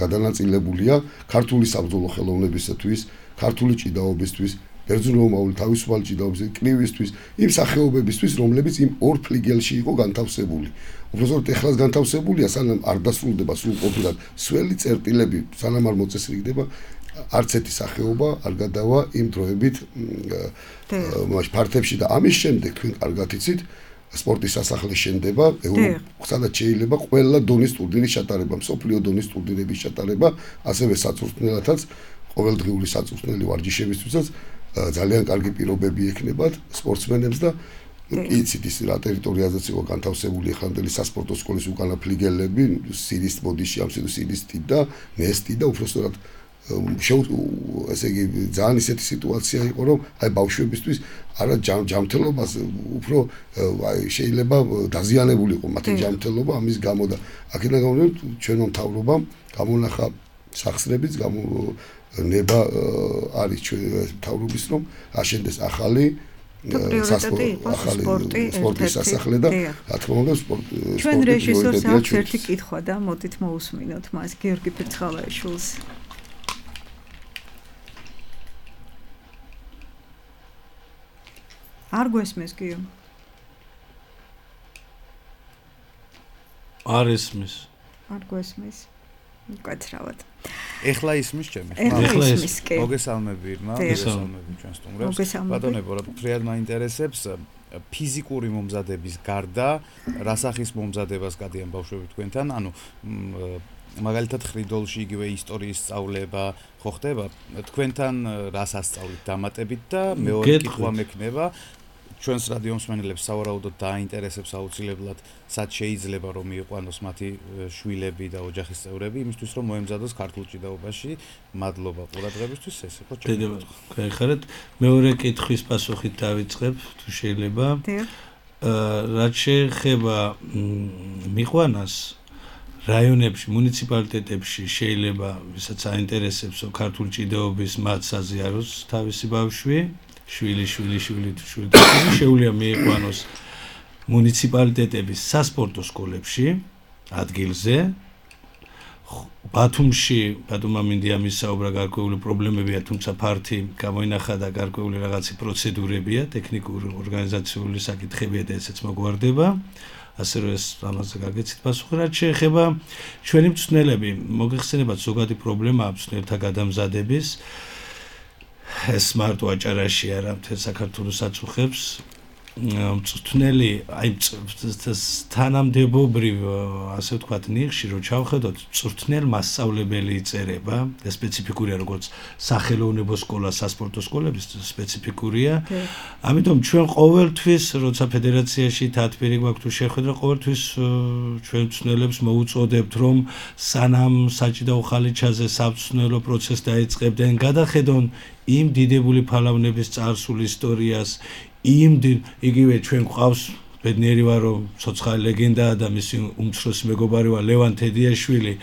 გადანაწილებულია ქართული საბრძოლო ხელოვნებისათვის, ქართული ჭიდაობისთვის, ბერძნულოვანი თავისუფალი ჭიდაობისთვის, კრივისთვის, იმ სახეობებისთვის, რომლებიც იმ ორ ფლიგელში იყო განთავსებული. უბრალოდ ეხლაც განთავსებულია, სანამ არ დასრულდება სრულყოფილად სველი წერტილები, სანამ არ მოწესრიგდება არც ერთი სახეობა არ გადავა იმ დროებით მაშ ფართებში და ამის შემდეგ თქვენ კარგად იცით სპორტის სასახლე შენდება, სადაც შეიძლება ყველა დონის ტურნირის ჩატარება, მსოფლიო დონის ტურნირების ჩატარება, ასევე საწვრთნელათაც, ყოველდღიური საწვრთნელი ვარჯიშებისთვისაც ძალიან კარგი პირობები ექნებათ სპორტსმენებს და იცით ის რა ტერიტორიაზეც იყო განთავსებული ეხლანდელი სასპორტო სკოლის უკანა ფლიგელები, სირის ბოდიში, ამ სირისტი და ნესტი და უბრალოდ შეუ ესე იგი ძალიან ისეთი სიტუაცია იყო რომ აი ბავშვებისთვის არა ჯამთელობას უფრო აი შეიძლება დაზიანებული იყო მათი ჯამთელობა ამის გამო და აქედან გამომდინარე ჩვენო მთავრობამ გამონახა სახსრებიც ნება არის ჩვენ მთავრობის რომ აშენდეს ახალი სპორტის სასახლე და რა თქმა უნდა სპორტი ჩვენ რეჟისორს აქვს ერთი კითხვა და მოდით მოусმინოთ მას გიორგი ფერცხალაიშვილს არ გვესმის გიო არ ესმის არ გვესმის უკაცრავად ეხლა ისმის ჩემი ეხლა ისმის კი მოგესალმები irma მოგესალმები ჩვენ სტუმრებს ბატონებო რა ფრიად მაინტერესებს ფიზიკური მომზადების გარდა რასახის მომზადებას გადიან ბავშვები თქვენთან ანუ მაგალითად ხრიდოლში იგივე ისტორიის სწავლება ხო ხდება თქვენთან რას ასწავლით დამატებით და მეორე კითხვა მექნება ჩვენს რადიო მსმენელებს სავარაუდოდ დაინტერესებს აუცილებლად სად შეიძლება რომ მიიყვანოს მათი შვილები და ოჯახის წევრები იმისთვის რომ მოემზადოს ქართულ ჭიდაობაში მადლობა ყურადღებისთვის ეს იყო ჩემი გეხარეთ მეორე კითხვის პასუხით დავიწყებ თუ შეიძლება რაც შეეხება მიყვანას რაიონებში, მუნიციპალიტეტებში შეიძლება ვისაც აინტერესებს ქართული ჭიდაობის მათ საზიაროს თავისი ბავშვი, შვილი, შვილი, შვილი, შვილი, შეუძლია მიიყვანოს მუნიციპალიტეტების სასპორტო სკოლებში, ადგილზე. ბათუმში, ბათუმმა მინდია მისაუბრა გარკვეული პრობლემებია, თუმცა ფართი გამოინახა და გარკვეული რაღაცი პროცედურებია, ტექნიკური, ორგანიზაციული საკითხებია და ესეც მოგვარდება. ასე რომ ეს ამაზე გაგეცით პასუხი რაც შეეხება ჩვენი მწვრთნელები მოგეხსენებათ ზოგადი პრობლემა მწვრთნელთა გადამზადების ეს მარტო აჭარაში არა მთელ საქართველოს აწუხებს მწვრთნელი აი თანამდებობრივ ასე ვთქვათ ნიხში რომ ჩავხედოთ მწვრთნელ მასწავლებელი იწერება და სპეციფიკურია როგორც სახელოვნებო სკოლა სასპორტო სკოლების სპეციფიკურია ამიტომ ჩვენ ყოველთვის როცა ფედერაციაში თათბირი გვაქვს თუ შეხვედრა ყოველთვის ჩვენ მწვრთნელებს მოუწოდებთ რომ სანამ საჭიდაო ხალიჩაზე სამწვრთნელო პროცესი დაიწყებდნენ გადახედონ იმ დიდებული ფალავნების წარსულ ისტორიას იმ იგივე ჩვენ გვყავს ბედნიერი ვარ რომ ცოცხალი ლეგენდაა და მისი უმცროსი მეგობარი ვარ ლევან თედიაშვილი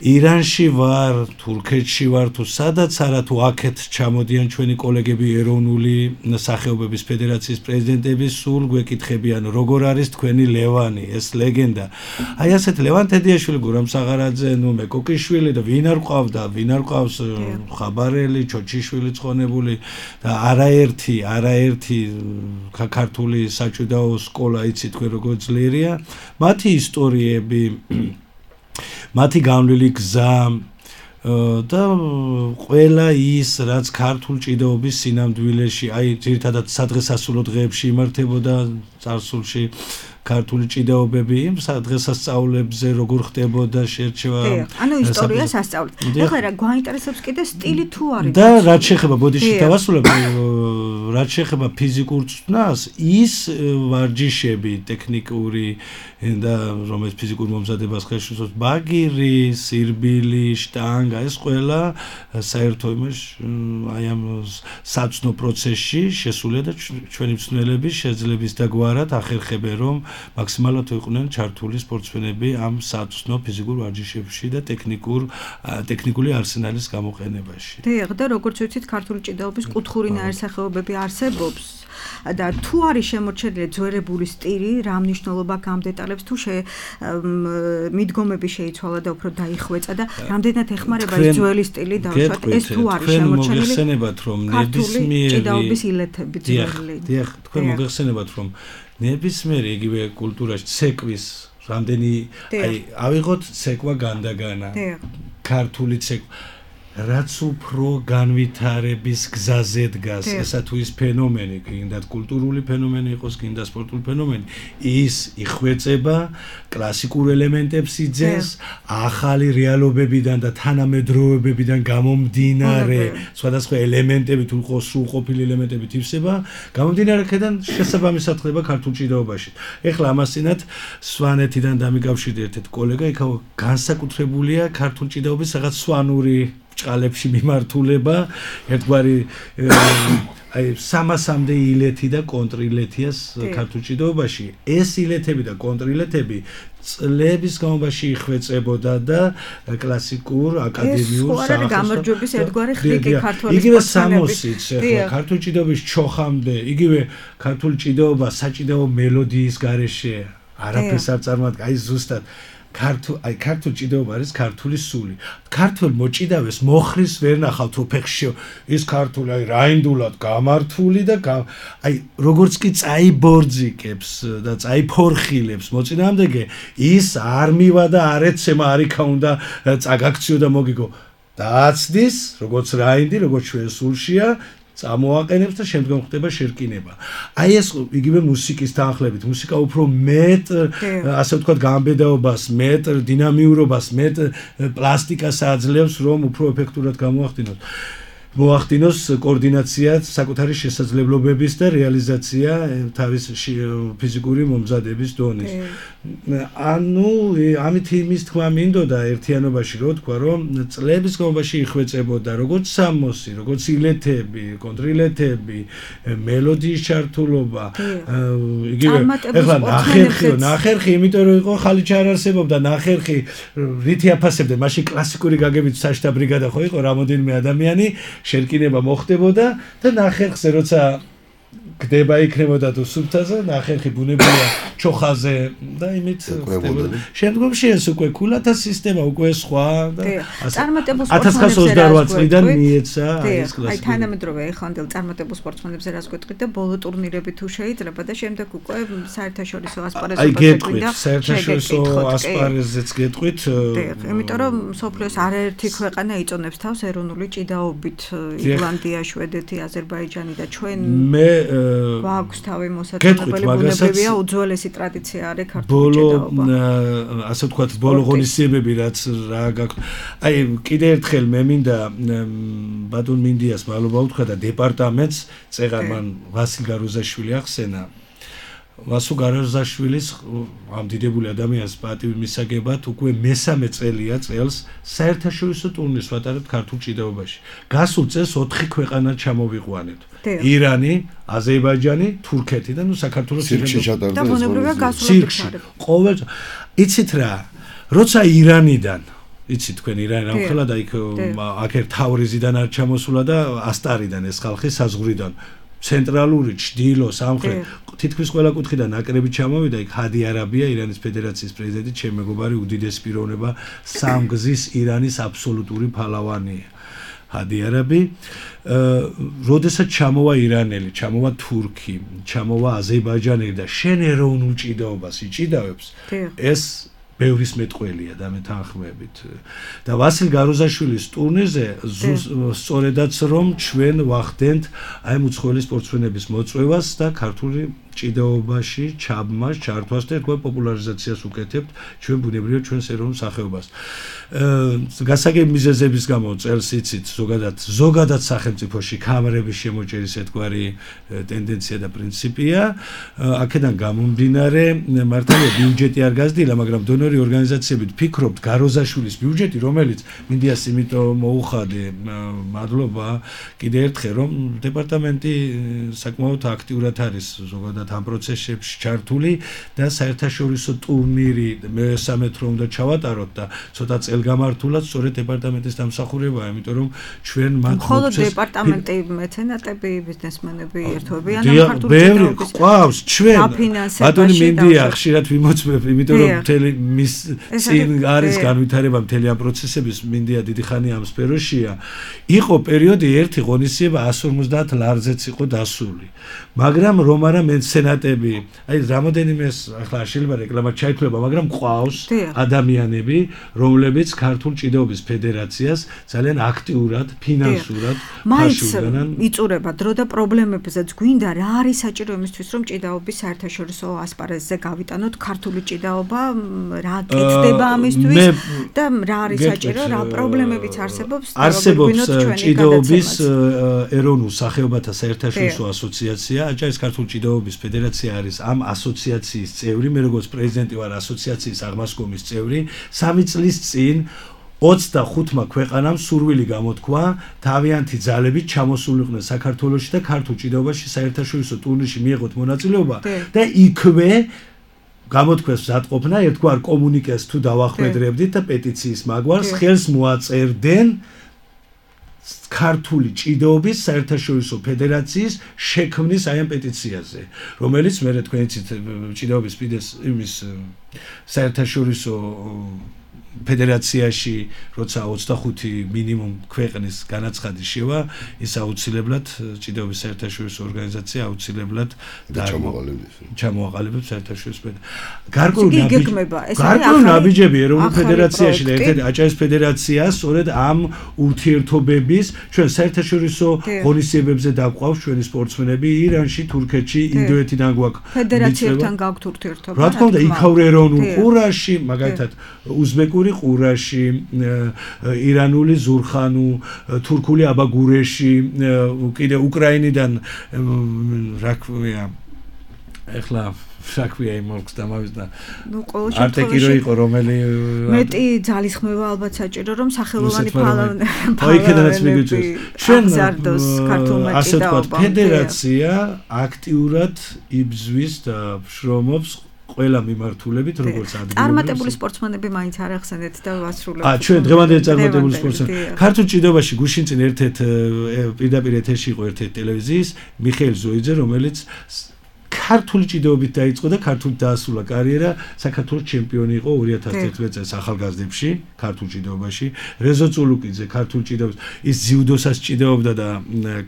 ირანში ვარ, თურქეთში ვარ, თუ სადაც არა თუ აქეთ ჩამოდიან ჩვენი კოლეგები ეროვნული სახეობების ფედერაციის პრეზიდენტები, სულ გვეკითხებიან, როგორ არის თქვენი ლევანი, ეს ლეგენდა. აი ასეთ ლევან თედიაშვილი, გურამ საღარაძე, ნუ მეკოკიშვილი და ვინ არ ყავდა, ვინ არ ყავს ხაბარელი, ჩოჩიშვილი ცხონებული და არაერთი, არაერთი ქართული საჭიდაო სკოლა იცი თქვენ როგორ ძლიერია. მათი ისტორიები მათი განვლილი გზა და ყველა ის რაც ქართულ ჭიდაობის სინამდვილეში აი ძირითადად სადღესასწაულო დღეებში იმართებოდა წარსულში ქართული ჭიდაობები იმ სადღესასწაულებზე როგორ ხდებოდა შერჩევა ანუ ისტორიას ასწავლეთ. ეხლა რა გვაინტერესებს კიდე სტილი თუ არის და რაც შეეხება ბოდიში დავასრულებ რაც შეეხება ფიზიკურ წვნას ის ვარჯიშები ტექნიკური და რომელიც ფიზიკურ მომზადებას ხელს უშლის ბაგირი, სირბილი, შტანგა ეს ყველა საერთო იმაში აი ამ საცნო პროცესში შესულია და ჩვენი მწვრთნელები შეძლების და გვარად ახერხებენ რომ მაქსიმალურად იყვნენ ჩართული სპორტსმენები ამ საცნო ფიზიკურ ვარჯიშებში და ტექნიკურ ტექნიკული არსენალის გამოყენებაში. დიახ, და როგორც ვიცით, ქართული ჭიდაობის კუთხური ნაირსახეობები არსებობს. და თუ არის შემორჩენილი ძველებული სტილი, რა მნიშვნელობა გამდეტალებს თუ მიდგომები შეიცვალა და უფრო დაიხვეწა და რამდენად ეხმარება ეს ძველი სტილი დავუშვათ ეს თუ არის შემორჩენილი მოგეხსენებათ რომ ნებისმიერი ჭიდაობის ილეთები ძველი. დიახ, თქვენ მოგეხსენებათ რომ ნებისმიერი იგივე კულტურაში ცეკვის რამდენი აი ავიღოთ ცეკვა განდაგანა. ქართული ცეკვა რაც უფრო განვითარების გზაზე დგას, ესა თუ ის ფენომენი, კიდე კულტურული ფენომენი იყოს, კიდე სპორტული ფენომენი, ის იხვეწება, კლასიკურ ელემენტებს იძენს, ახალი რეალობებიდან და თანამედროვეობებიდან გამომდინარე, სხვადასხვა ელემენტები თუ იყოს სრულყოფილი ელემენტები თვისება, გამომდინარე აქედან შესაბამისად ხდება ქართულ ჭიდაობაში. ეხლა ამასინათ სვანეთიდან დამიკავშირდი ერთ-ერთ კოლეგა, იქ განსაკუთრებულია ქართულ ჭიდაობის რაღაც სვანური ჭყალებში მიმართულება, ერთგვარი აი სამასამდე ილეთი და კონტრილეთიას ქართულ ჭიდაობაში. ეს ილეთები და კონტრილეთები წლების განმავლობაში იხვეწებოდა და კლასიკურ აკადემიურ სახეს გამარჯვების ერთგვარი ხრიკი ქართული იგივე სამოსიც ქართულ ჭიდაობის ჩოხამდე, იგივე ქართულ ჭიდაობა საჭიდაო მელოდიის გარეშე არაფერს არ წარმოადგენს, აი ზუსტად ქართულ აი ქართულ ჭიდაობა არის ქართული სული. ქართულ მოჭიდავეს მოხრის ვერ ნახავთ უფეხში ის ქართული აი რაინდულად გამართული და აი როგორც კი წაიბორძიკებს და წაიფორხილებს მოწინააღმდეგე ის არ მივა და არ ეცემა არიქა უნდა წაგაქციო და მოგიგო დააცდის როგორც რაინდი როგორც ჩვენ სულშია წამოაყენებს და შემდგომ ხდება შერკინება. აი ეს იგივე მუსიკის თანხლებით, მუსიკა უფრო მეტ, ასე ვთქვათ, გამბედაობას, მეტ დინამიურობას, მეტ პლასტიკას აძლევს, რომ უფრო ეფექტურად გამოახდინოს. მოახდინოს კოორდინაცია საკუთარი შესაძლებლობების და რეალიზაცია თავის ფიზიკური მომზადების დონის. ანუ ამით იმის თქმა მინდოდა ერთიანობაში რო თქვა რომ წლების განმავლობაში იხვეწებოდა როგორც სამოსი, როგორც ილეთები, კონტრილეთები, მელოდიის ჩართულობა, იგივე ეხლა ნახერხი, ნახერხი, იმიტომ რომ იყო ხალიჩა არ არსებობდა, ნახერხი რითი აფასებდა, მაშინ კლასიკური გაგებით საშტა ბრიგადა ხო იყო რამოდენიმე ადამიანი შერკინება მოხდებოდა და ნახერხზე როცა გდება იქნებოდა თუ სუფთაზე ნახერხი ბუნებია ჩოხაზე და იმით ხდებოდა. შემდგომში ეს უკვე კულათა სისტემა უკვე სხვა და ათას ცხრაასი ოცდაოთხ წლიდან მიეცა ეს კლასიკა. აი თანამედროვე ეხანდელ წარმატებულ სპორტსმენებზე რას გვეტყვით და ბოლო ტურნირები თუ შეიძლება და შემდეგ უკვე საერთაშორისო ასპარეზობაზე აი გეტყვით, საერთაშორისო ასპარეზზეც გეტყვით. იმიტომ რომ სოფლიოს არაერთი ქვეყანა იწონებს თავს ეროვნული ჭიდაობით, ირლანდია, შვედეთი, აზერბაიჯანი და ჩვენ მე გვაქვს თავი მოსაწონებელი ბუნებრივია უძველესი ტრადიცია არის ქართული ჭიდაობა. ბოლო ასე ვთქვათ, ბოლო ღონისძიებები რაც რა გაქვს. აი კიდე ერთხელ მე მინდა ბატონ მინდიას მადლობა უთხრა და დეპარტამენტს წეღარ მან ვასილ გაროზაშვილი ახსენა. ვასილ გაროზაშვილის ამ დიდებული ადამიანის პატივი მისაგებად უკვე მესამე წელია წელს საერთაშორისო ტურნირს ვატარებთ ქართულ ჭიდაობაში. გასულ წელს ოთხი ქვეყანა ჩამოვიყვანეთ. ირანი, აზერბაიჯანი, თურქეთი და ნუ საქართველოს და ბუნებრივია გასულები ხარ. ყოველ იცით რა, როცა ირანიდან იცი თქვენ ირანი რა ხელა და იქ აქერ თავრიზიდან არ ჩამოსულა და ასტარიდან ეს ხალხი საზღვრიდან ცენტრალური ჩრდილო სამხრეთ თითქმის ყველა კუთხიდან ნაკრები ჩამოვიდა იქ ჰადი არაბია ირანის ფედერაციის პრეზიდენტი ჩემ მეგობარი უდიდესი პიროვნება სამგზის ირანის აბსოლუტური ფალავანია ჰადი არაბი როდესაც ჩამოვა ირანელი ჩამოვა თურქი ჩამოვა აზერბაიჯანელი და შენ ეროვნულ ჭიდაობას იჭიდავებს ეს ბევრის მეტყველია და მეთანხმებით და ვასილ გაროზაშვილის ტურნირზე სწორედაც რომ ჩვენ ვახდენთ აი უცხოელი სპორტსმენების მოწვევას და ქართული ჭიდაობაში ჩაბმას ჩართვას და თქვენ პოპულარიზაციას უკეთებთ ჩვენ ბუნებრივად ჩვენს ეროვნულ სახეობას გასაგები მიზეზების გამო წელს იცით ზოგადად ზოგადად სახელმწიფოში კამერების შემოჭერის ერთგვარი ტენდენცია და პრინციპია აქედან გამომდინარე მართალია ბიუჯეტი არ გაზრდილა მაგრამ დონორი ორგანიზაციებით ფიქრობთ გაროზაშვილის ბიუჯეტი რომელიც მინდიას იმიტომ მოუხადე მადლობა კიდე ერთხელ რომ დეპარტამენტი საკმაოდ აქტიურად არის ზოგადად ამ პროცესებში ჩართული და საერთაშორისო ტურნირი მესამე თრო უნდა ჩავატაროთ და ცოტა წელგამართულად სწორედ დეპარტამენტის დამსახურებაა, იმიტომ რომ ჩვენ მათ მხოლოდ დეპარტამენტი მეცენატები, ბიზნესმენები ერთობი ან ქართული ჭიდაობის ყავს ჩვენ ბატონი მინდია ხშირად ვიმოწმებ, იმიტომ რომ მთელი მის წინ არის განვითარება მთელი ამ პროცესების მინდია დიდი ხანი ამ სფეროშია. იყო პერიოდი ერთი ღონისძიება εκατს ორმოცდაათ ლარზეც იყო დასული. მაგრამ რომ არა მეცენატები, აი რამოდენიმე ახლა შეიძლება რეკლამა ჩაითვლება, მაგრამ ყავს ადამიანები, რომლებიც ქართულ ჭიდაობის ფედერაციას ძალიან აქტიურად, ფინანსურად ფაშულობენ. იწურება დრო და პრობლემებზეც გვინდა რა არის საჭირო იმისთვის, რომ ჭიდაობის საერთაშორისო ასპარეზზე გავიტანოთ ქართული ჭიდაობა, რა კეთდება ამისთვის და რა არის საჭირო, რა პრობლემებიც არსებობს, არსებობს ჭიდაობის ეროვნულ სახეობათა საერთაშორისო ასოციაცია, აჭარის ქართული ჭიდაობის ფედერაცია არის ამ ასოციაციის წევრი, მე როგორც პრეზიდენტი ვარ ასოციაციის აღმასკომის წევრი, სამი წლის წინ ოცდახუთმა ქვეყანამ სურვილი გამოთქვა თავიანთი ძალებით ჩამოსულიყვნენ საქართველოში და ქართულ ჭიდაობაში საერთაშორისო ტურნირში მიეღოთ მონაწილეობა და იქვე გამოთქვეს მზადყოფნა ერთგვარ კომუნიკეს თუ დავახვედრებდით და პეტიციის მაგვარს ხელს მოაწერდნენ ქართული ჭიდაობის საერთაშორისო ფედერაციის შექმნის აი ამ პეტიციაზე, რომელიც მე თქვენ იცით ჭიდაობის ფიდეს იმის საერთაშორისო ფედერაციაში როცა ოცდახუთი მინიმუმ ქვეყნის განაცხადი შევა, ის აუცილებლად ჭიდაობის საერთაშორისო ორგანიზაცია აუცილებლად ჩამოაყალიბებს საერთაშორისო გარკვეული ნაბიჯები ეროვნულ ფედერაციაში და ერთ-ერთი აჭარის ფედერაცია სწორედ ამ ურთიერთობების ჩვენ საერთაშორისო ღონისძიებებზე დაგვყავს ჩვენი სპორტსმენები ირანში, თურქეთში, ინდოეთიდან გვაქვს ფედერაციებთან გაგვთ ურთიერთობა. რა თქმა უნდა, იქაურ ეროვნულ ყურაში, მაგალითად უზბეკური ყურაში, ირანული ზურხანუ, თურქული აბაგურეში, კიდე უკრაინიდან რა ქვია, ეხლა რა ქვია იმ ოლქს დამავიწყდა. ნუ ყოველ შემთხვევაში არტეკირო იყო რომელი მეტი ძალისხმევა ალბათ საჭირო რომ სახელოვანი ფალავანი იქედანაც მიგიწევს. ჩვენ ასე ვთქვათ, ფედერაცია აქტიურად იბზვის და შრომობს ყველა მიმართულებით როგორც ადგილობრივი. წარმატებული სპორტსმენები მაინც არ ახსენეთ და ვასრულებთ. აა ჩვენ დღევანდელი წარმატებული სპორტსმენები. ქართულ ჭიდაობაში გუშინ წინ ერთ-ერთ პირდაპირ ეთერში იყო ერთ-ერთი ტელევიზიის მიხეილ ზოიძე, რომელიც ქართული ჭიდაობით დაიწყო და ქართულად დაასრულა კარიერა, საქართველოს ჩემპიონი იყო ორი ათას თერთმეტ წელს ახალგაზრდებში, ქართულ ჭიდაობაში. რეზო წულუკიძე ქართულ ჭიდაობას, ის ძიუდოსაც ჭიდაობდა და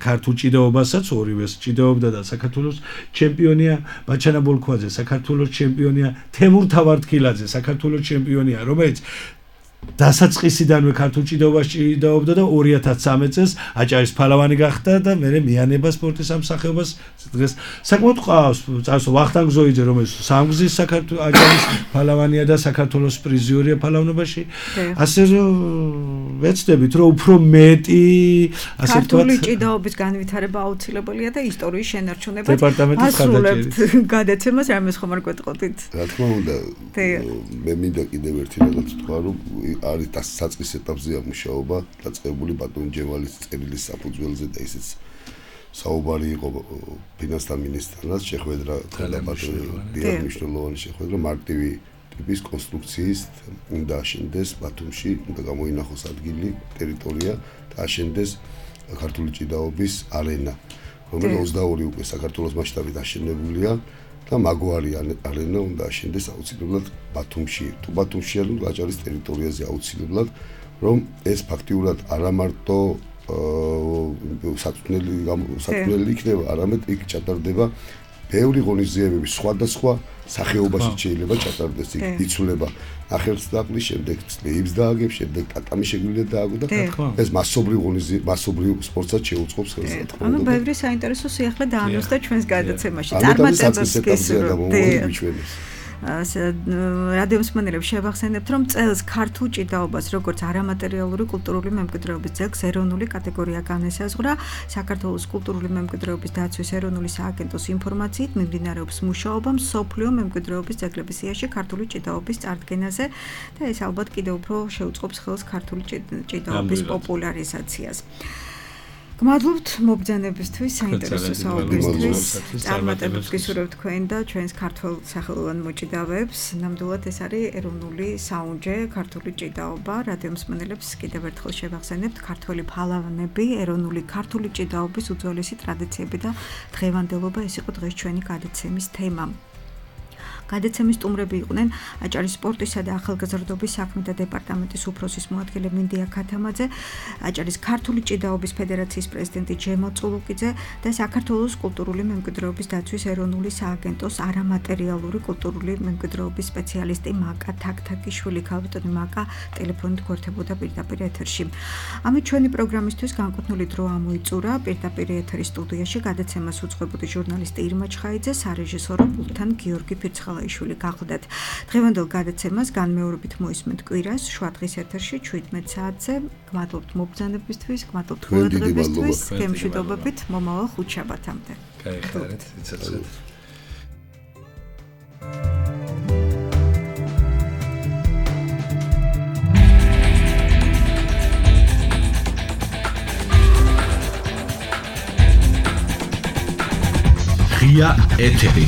ქართულ ჭიდაობასაც ორივეს ჭიდაობდა და საქართველოს ჩემპიონია. ბაჩანა ბოლქვაძე საქართველოს ჩემპიონია, თემურ თავარდქილაძე საქართველოს ჩემპიონია, რომელიც დასაწყისიდანვე ქართულ ჭიდაობაში ჭიდაობდა და ორი ათას ცხრამეტ წელს აჭარის ფალავანი გახდა და მერე მიანება სპორტის ამ სახეობას დღეს საკმაოდ ყავს წარსო ვახტანგ ზოიძე რომელიც სამგზის საქართველოს აჭარის ფალავანია და საქართველოს პრიზიორია ფალავნობაში ასე რომ ვეცდებით რომ უფრო მეტი ასე ვთქვათ ქართული ჭიდაობის განვითარება აუცილებელია და ისტორიის შენარჩუნება დეპარტამენტის ხარდაჭერით გადაცემას რამეს ხომ არ გვეტყოდით რა თქმა უნდა მე მინდა კიდევ ერთი რაღაც თქვა რომ არის დასაწყის ეტაპზეა მუშაობა დაწყებული ბატონ ჯემალის წერილის საფუძველზე და ისიც საუბარი იყო ფინანსთა მინისტრთან შეხვედრა და ბატონ დიახ მნიშვნელოვანი შეხვედრა მარტივი ტიპის კონსტრუქციის უნდა აშენდეს ბათუმში, უნდა გამოინახოს ადგილი, ტერიტორია და აშენდეს ქართული ჭიდაობის არენა, რომელიც ოცდაორი უკვე საქართველოს მასშტაბით აშენებულია და მაგვარი არენა უნდა აშენდეს აუცილებლად ბათუმში, თუ ბათუმში არ უნდა აჭარის ტერიტორიაზე აუცილებლად, რომ ეს ფაქტიურად არა მარტო საწვნელი საწვნელი იქნება, არამედ იქ ჩატარდება ბევრი ღონისძიებები სხვადასხვა სახეობაში შეიძლება ჩატარდეს იქ იცვლება ახერცდაყრის შემდეგ წლებს დააგებს შემდეგ ტატამი შეგვიძლია დააგო და ეს მასობრივ ღონისძიებები მასობრივ სპორტსაც შეუწყობს ხელს. ანუ ბევრი საინტერესო სიახლე დაანონსდა ჩვენს გადაცემაში. წარმატებებს გესურვებთ. რადიო მსმენელებს შევახსენებთ, რომ წელს ქართულ ჭიდაობას, როგორც არამატერიალური კულტურული მემკვიდრეობის ძეგლს ეროვნული კატეგორია განესაზღვრა. საქართველოს კულტურული მემკვიდრეობის დაცვის ეროვნული სააგენტოს ინფორმაციით მიმდინარეობს მუშაობა მსოფლიო მემკვიდრეობის ძეგლების სიაში ქართული ჭიდაობის წარდგენაზე და ეს ალბათ კიდევ უფრო შეუწყობს ხელს ქართული ჭიდაობის პოპულარიზაციას. გმადლობთ მობრძანებისთვის, საინტერესო საუბრისთვის. წარმატებებს გისურვებთ თქვენ და ჩვენს ქართულ სახელოვან მოჭიდავეებს. ნამდვილად ეს არის ეროვნული საუნჯე, ქართული ჭიდაობა. რადიო მსმენელებს კიდევ ერთხელ შევახსენებთ, ქართველი ფალავანები, ეროვნული ქართული ჭიდაობის უძველესი ტრადიციები და დღევანდელობა, ეს იყო დღეს ჩვენი გადაცემის თემა. გადაცემის სტუმრები იყვნენ აჭარის სპორტისა და ახალგაზრდობის საქმეთა დეპარტამენტის უფროსის მოადგილე მინდია ქათამაძე, აჭარის ქართული ჭიდაობის ფედერაციის პრეზიდენტი ჯემალ წულუკიძე და საქართველოს კულტურული მემკვიდრეობის დაცვის ეროვნული სააგენტოს არამატერიალური კულტურული მემკვიდრეობის სპეციალისტი მაკა თაქთაკიშვილი. ქალბატონი მაკა ტელეფონით გვერდებოდა პირდაპირ ეთერში. ამით ჩვენი პროგრამისთვის განკუთვნილი დრო ამოიწურა. პირდაპირ ეთერის სტუდიაში გადაცემას უძღვებოდი ჟურნალისტი ირმა ჩხაიძე, სარეჟისორო პულტთან გიორგი ფირცხალაიშვილი. გახდათ დღევანდელ გადაცემას განმეორებით მოისმენთ კვირას შვადღის ეთერში შვიდმეტ საათზე. გმადლობთ მობრძანებისთვის, გმადლობთ ყურადღებისთვის, გემშვიდობებით მომავალ ხუთშაბათამდე. გაიხარეთ, იცოცხლეთ. ღია ეთერი